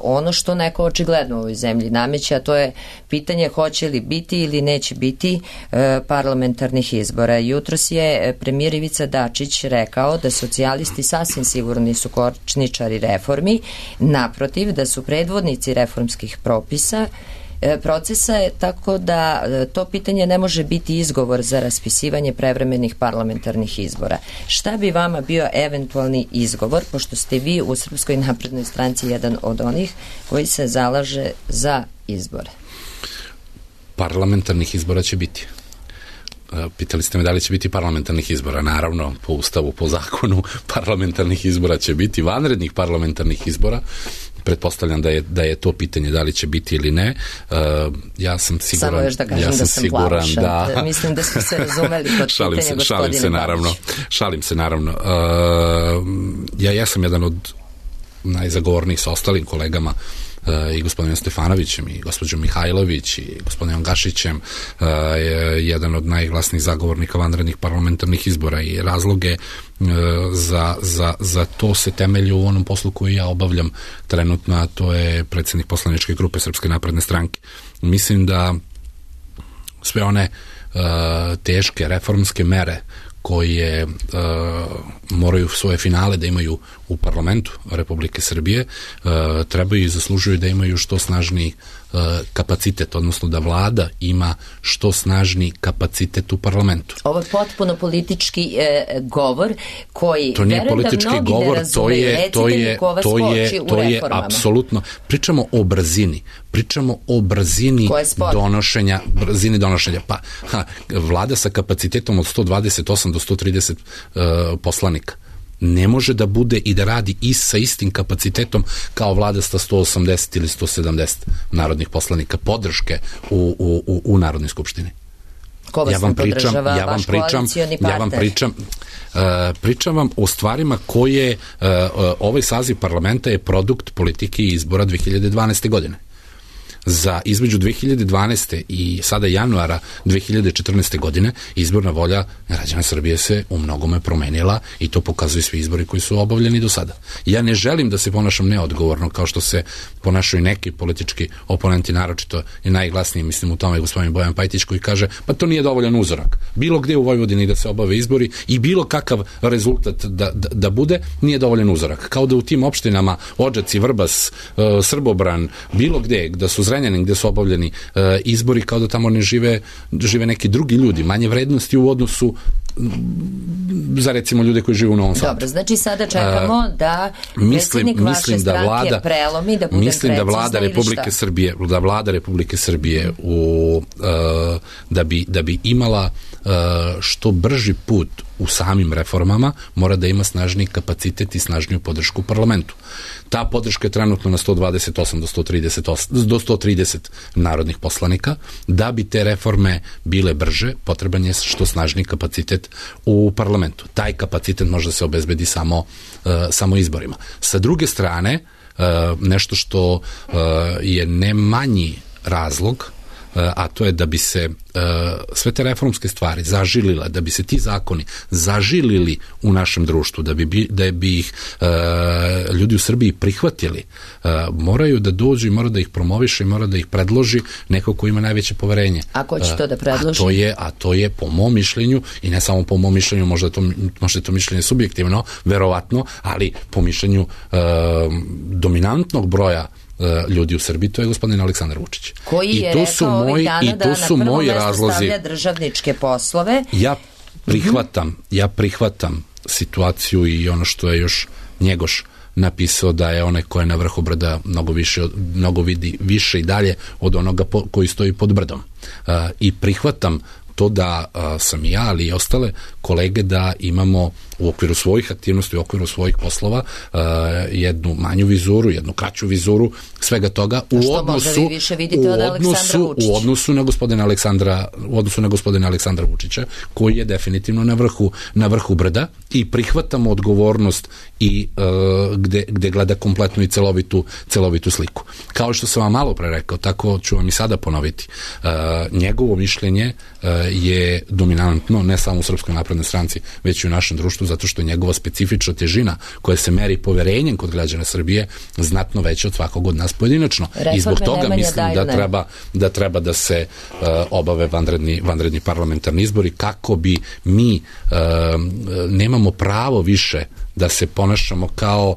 ono što neko očigledno u ovoj zemlji nameće, a to je pitanje hoće li biti ili neće biti parlamentarnih izbora. Jutros je premijer Ivica Dačić rekao da socijalisti sasvim sigurno nisu kočničari reformi, naprotiv, da su predvodnici reformskih procesa je, tako da to pitanje ne može biti izgovor za raspisivanje prevremenih parlamentarnih izbora. Šta bi vama bio eventualni izgovor, pošto ste vi u Srpskoj naprednoj stranci jedan od onih koji se zalaže za izbore? Parlamentarnih izbora će biti. Pitali ste me da li će biti parlamentarnih izbora. Naravno, po ustavu, po zakonu, parlamentarnih izbora će biti, vanrednih parlamentarnih izbora. Pretpostavljam da je to pitanje da li će biti ili ne. Ja sam siguran, samo još da kažem da sam plavuša. Mislim da smo se razumeli kod pitanja gospodine Babić. Šalim se naravno. Ja sam jedan od najzagovornijih sa ostalim kolegama, i gospodinom Stefanovićem i gospođom Mihajlović i gospodinom Gašićem, jedan od najglasnijih zagovornika vanrednih parlamentarnih izbora, i razloge za to se temelji u onom poslu koji ja obavljam trenutno, a to je predsjednik poslaničke grupe Srpske napredne stranke. Mislim da sve one teške reformske mere koje moraju svoje finale da imaju u parlamentu Republike Srbije, trebaju i zaslužuju da imaju što snažniji kapacitet, odnosno da vlada ima što snažniji kapacitet u parlamentu. Ovo je potpuno politički govor koji to nije politički da govor, ne razumeju. to je apsolutno. Pričamo o brzini donošenja. Pa, vlada sa kapacitetom od 128 do 130 poslanika ne može da bude i da radi sa istim kapacitetom kao vlada sa 180 ili 170 narodnih poslanika podrške u Narodnoj skupštini. Ko vas ne podržava, vaš koalicioni partner? Pričam vam o stvarima koje ovaj saziv parlamenta je produkt politike i izbora 2012. godine. Između 2012. i sada januara 2014. godine izborna volja građana Srbije se u mnogome promenila i to pokazuju svi izbori koji su obavljeni do sada. Ja ne želim da se ponašam neodgovorno kao što se ponašaju neki politički oponenti, naročito je najglasniji, mislim u tome gospodin Bojan Pajtić, koji kaže pa to nije dovoljan uzorak. Bilo gde u Vojvodini da se obave izbori i bilo kakav rezultat da bude, nije dovoljan uzorak. Kao da u tim opštinama Odžaci, Vrbas, Srbobran, bilo gde, da su Zrenjanin, gde su obavljeni izbori, kao da tamo ne žive neki drugi ljudi, manje vrednosti u odnosu za recimo ljude koji žive u Novom Sadu. Dobro, znači sada čekamo da predsjednik vaše stranke prelomi, da budem mislim da vlada Republike Srbije da bi imala što brži put u samim reformama, mora da ima snažniji kapacitet i snažniju podršku u parlamentu. Ta podrška je trenutno na 128 do 130 narodnih poslanika. Da bi te reforme bile brže, potreban je što snažniji kapacitet u parlamentu. Taj kapacitet može se obezbedi samo izborima. Sa druge strane, nešto što je ne manji razlog, a to je da bi se sve te reformske stvari zažilile, da bi se ti zakoni zažilili u našem društvu, da bi ih ljudi u Srbiji prihvatili, moraju da dođu i mora da ih promoviše i mora da ih predloži neko ko ima najveće poverenje. A ko će to da predloži? A to je po mom mišljenju, i ne samo po mom mišljenju, možda to mišljenje subjektivno, verovatno, ali po mišljenju dominantnog broja ljudi u Srbiji, to je gospodin Aleksandar Vučić. Koji je rekao ovih dana da na prvo mesto stavlja državničke poslove. Ja prihvatam situaciju i ono što je još Njegoš napisao, da je onaj ko je na vrhu brda mnogo vidi više i dalje od onoga koji stoji pod brdom. I prihvatam to da sam ja, ali i ostale kolege, da imamo u okviru svojih aktivnosti, u okviru svojih poslova jednu manju vizuru, jednu kraću vizuru svega toga u odnosu na gospodina Aleksandra Vučića, koji je definitivno na vrhu brda, i prihvatamo odgovornost i gde gleda kompletnu i celovitu sliku. Kao što sam vam malo pre rekao, tako ću vam i sada ponoviti. Njegovo mišljenje je dominantno ne samo u Srpskoj naprednoj stranci, već i u našem društvu, zato što je njegova specifična težina koja se meri poverenjem kod građana Srbije znatno veća od svakog od nas pojedinačno. I zbog toga mislim da treba da se obave vanredni parlamentarni izbori, kako bi mi nemamo pravo više da se ponašamo kao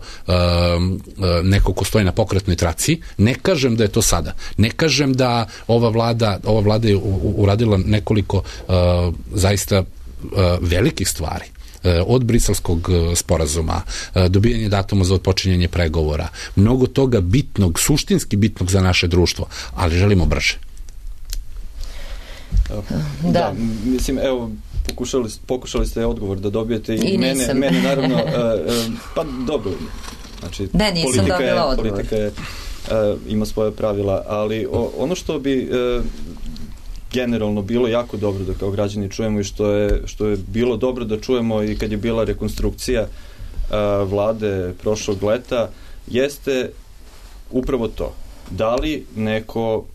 neko ko stoji na pokretnoj traci. Ne kažem da je to sada. Ne kažem da ova vlada je uradila nekoliko zaista velikih stvari. Od Briselskog sporazuma, dobijanje datuma za odpočinjanje pregovora, mnogo toga bitnog, suštinski bitnog za naše društvo, ali želimo brže. Da, mislim, evo, pokušali ste odgovor da dobijete i mene naravno, pa dobro, znači, politika je, ima svoje pravila, ali ono što bi generalno bilo jako dobro da kao građani čujemo i što je bilo dobro da čujemo i kad je bila rekonstrukcija vlade prošlog leta, jeste upravo to. Da li neko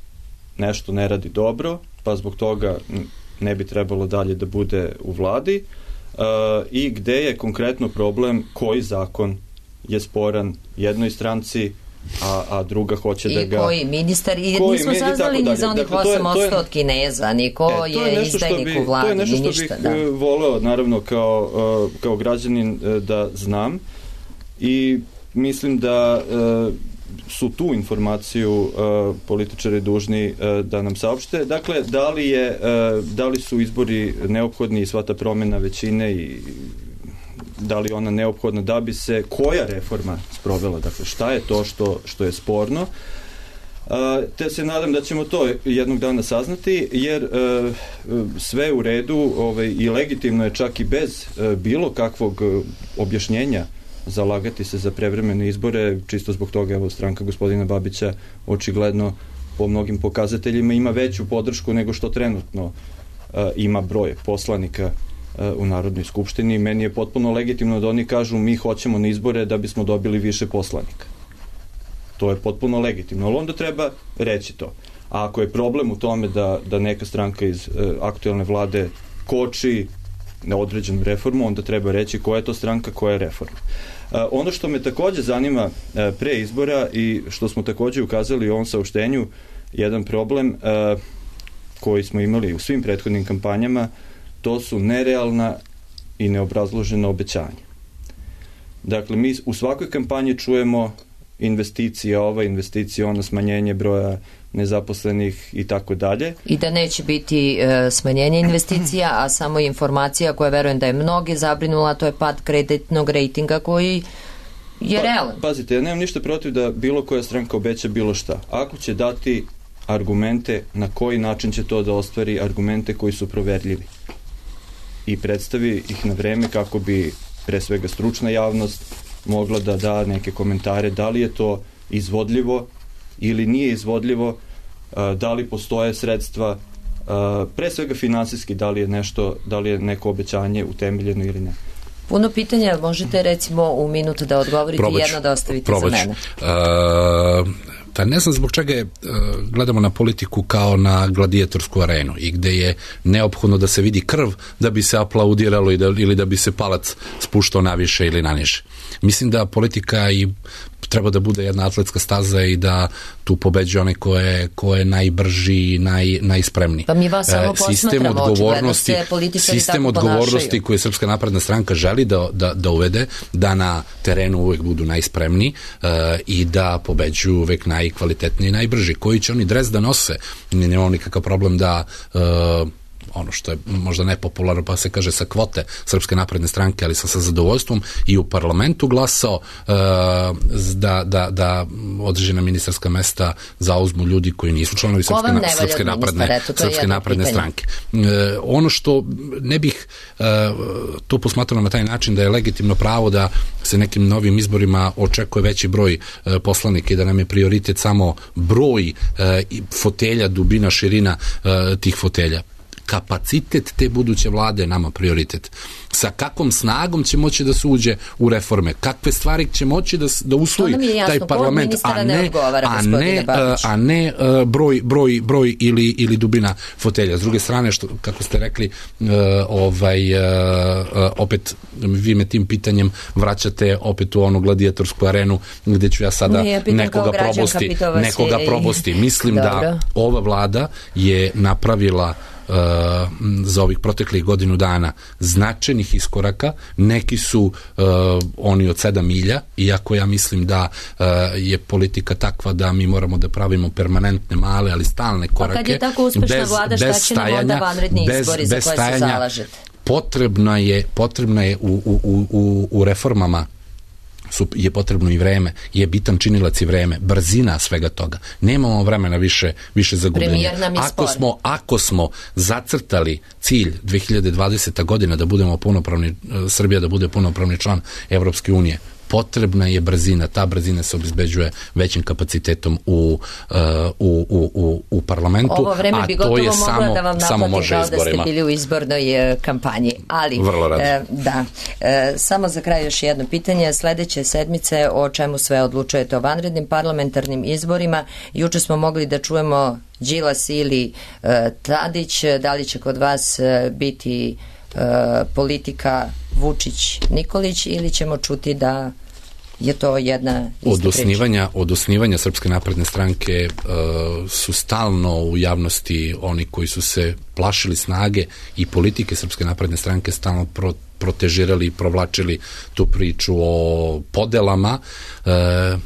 nešto ne radi dobro, pa zbog toga ne bi trebalo dalje da bude u vladi, i gde je konkretno problem, koji zakon je sporan jednoj stranci, a druga hoće da ga... I koji ministar, i nismo saznali ni za onih 8% od Kineza, niko je izdajnik u vladi, ni ništa. To je nešto što bih voleo, naravno, kao građanin da znam, i mislim da su tu informaciju političari dužni da nam saopšte. Dakle, da li su izbori neophodni i sva ta promjena većine, i da li ona neophodna da bi se koja reforma sprovela, dakle šta je to što je sporno, te se nadam da ćemo to jednog dana saznati, jer sve u redu i legitimno je čak i bez bilo kakvog objašnjenja zalagati se za prevremene izbore, čisto zbog toga, evo, stranka gospodina Babića očigledno po mnogim pokazateljima ima veću podršku nego što trenutno ima broj poslanika u Narodnoj skupštini. Meni je potpuno legitimno da oni kažu mi hoćemo na izbore da bismo dobili više poslanika. To je potpuno legitimno, ali onda treba reći to. A ako je problem u tome da neka stranka iz aktuelne vlade koči na određenu reformu, onda treba reći koja je to stranka, koja je reforma. Ono što me takođe zanima pre izbora i što smo takođe ukazali u ovom saopštenju, jedan problem koji smo imali u svim prethodnim kampanjama, to su nerealna i neobrazložena obećanja. Dakle, mi u svakoj kampanji čujemo investicija ova, investicija ona, smanjenje broja nezaposlenih i tako dalje. I da neće biti smanjenje investicija, a samo informacija koja verujem da je mnoge zabrinula, to je pad kreditnog rejtinga koji je realan. Pazite, ja nemam ništa protiv da bilo koja stranka obeća bilo šta. Ako će dati argumente na koji način će to da ostvari, argumente koji su proverljivi i predstavi ih na vreme kako bi pre svega stručna javnost mogla da da neke komentare da li je to izvodljivo ili nije izvodljivo, da li postoje sredstva, pre svega finansijski, da li je neko obećanje utemeljeno ili ne. Puno pitanja, možete recimo u minutu da odgovorite i jedno da ostavite za mene. Pa ne znam zbog čega gledamo na politiku kao na gladijatorsku arenu i gde je neophodno da se vidi krv da bi se aplaudiralo ili da bi se palac spuštao naviše ili naniže. Mislim da politika i treba da bude jedna atletska staza i da tu pobeđuje onaj ko je najbrži i najspremniji. Pa mi vas samo posmatramo, očigledno se političari sistem tako ponašaju. odgovornosti koje Srpska napredna stranka želi da uvede, da na terenu uvek budu najspremniji i da pobeđuju uvek najkvalitetniji i najbrži. Koji će oni dres da nose? Nemamo nikakav problem da ono što je možda nepopularno, pa se kaže sa kvote Srpske napredne stranke, ali sam sa zadovoljstvom i u parlamentu glasao da određena ministarska mesta zauzmu ljudi koji nisu članovi Srpske napredne stranke. Ono što ne bih to posmatrao na taj način da je legitimno pravo da se nekim novim izborima očekuje veći broj poslanika i da nam je prioritet samo broj fotelja, dubina, širina tih fotelja. Kapacitet te buduće vlade je nama prioritet. Sa kakvom snagom će moći da se uđe u reforme, kakve stvari će moći da usvoji taj parlament, a ne broj ili dubina fotelja. S druge strane, kako ste rekli, opet vi me tim pitanjem vraćate opet u onu gladijatorsku arenu gde ću ja sada nekoga probosti. Mislim da ova vlada je napravila za ovih proteklih godinu dana značajnih iskoraka. Neki su oni od 7 milja, iako ja mislim da je politika takva da mi moramo da pravimo permanentne, male, ali stalne korake. A kad je tako uspešna vlada, šta će nam onda vanredni izbori za koje se zalažete? Potrebno je u reformama je potrebno i vreme, je bitan činilac i vreme, brzina svega toga. Nemamo vremena više za gubljenje. Ako smo zacrtali cilj 2020. godina da budemo punopravni, Srbija da bude punopravni član Evropske unije, potrebna je brzina. Ta brzina se obezbeđuje većim kapacitetom u parlamentu. Ovo vreme bi gotovo mogla da vam naplati kao da ste bili u izbornoj kampanji. Ali, vrlo rado. Da. Samo za kraj još jedno pitanje. Sledeće sedmice o čemu sve odlučujete? O vanrednim parlamentarnim izborima. Juče smo mogli da čujemo Đilas ili Tadić. Da li će kod vas biti politika Vučić-Nikolić ili ćemo čuti da je to jedna ista priča? Od osnivanja Srpske napredne stranke su stalno u javnosti oni koji su se plašili snage i politike Srpske napredne stranke stalno protežirali i provlačili tu priču o podelama.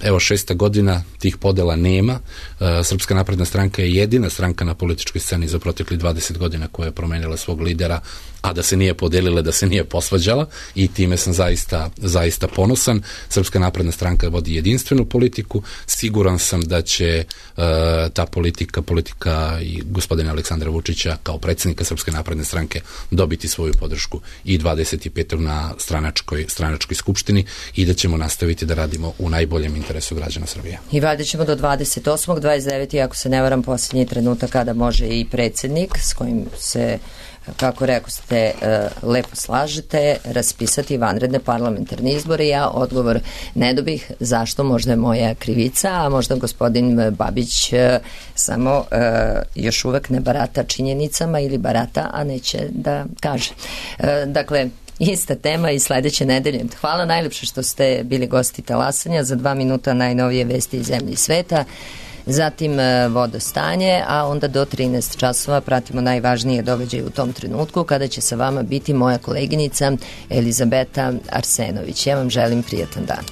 Evo 6. godina tih podela nema. Srpska napredna stranka je jedina stranka na političkoj sceni za protekli 20 godina koja je promenila svog lidera, a da se nije podelila, da se nije posvađala, i time sam zaista ponosan. Srpska napredna stranka vodi jedinstvenu politiku. Siguran sam da će ta politika i gospodina Aleksandra Vučića kao predsjednika Srpske napredne stranke dobiti svoju podršku i 25. na stranačkoj skupštini i da ćemo nastaviti da radimo u najboljem interesu građana Srbije. I valjda ćemo do 28. 29. ako se ne varam posljednji trenutak kada može i predsjednik s kojim se, kako rekao ste, lepo slažete, raspisati vanredne parlamentarne izbore. Ja odgovor ne dobih. Zašto? Možda je moja krivica, a možda gospodin Babić samo još uvek ne barata činjenicama ili barata, a neće da kaže. Dakle, ista tema i sledeće nedelje. Hvala najlepše što ste bili gosti Talasanja. Za 2 minuta najnovije vesti iz zemlje i sveta. Zatim vodostanje, a onda do 13 časova pratimo najvažnije događaje u tom trenutku kada će sa vama biti moja koleginica Elizabeta Arsenović. Ja vam želim prijatan dan.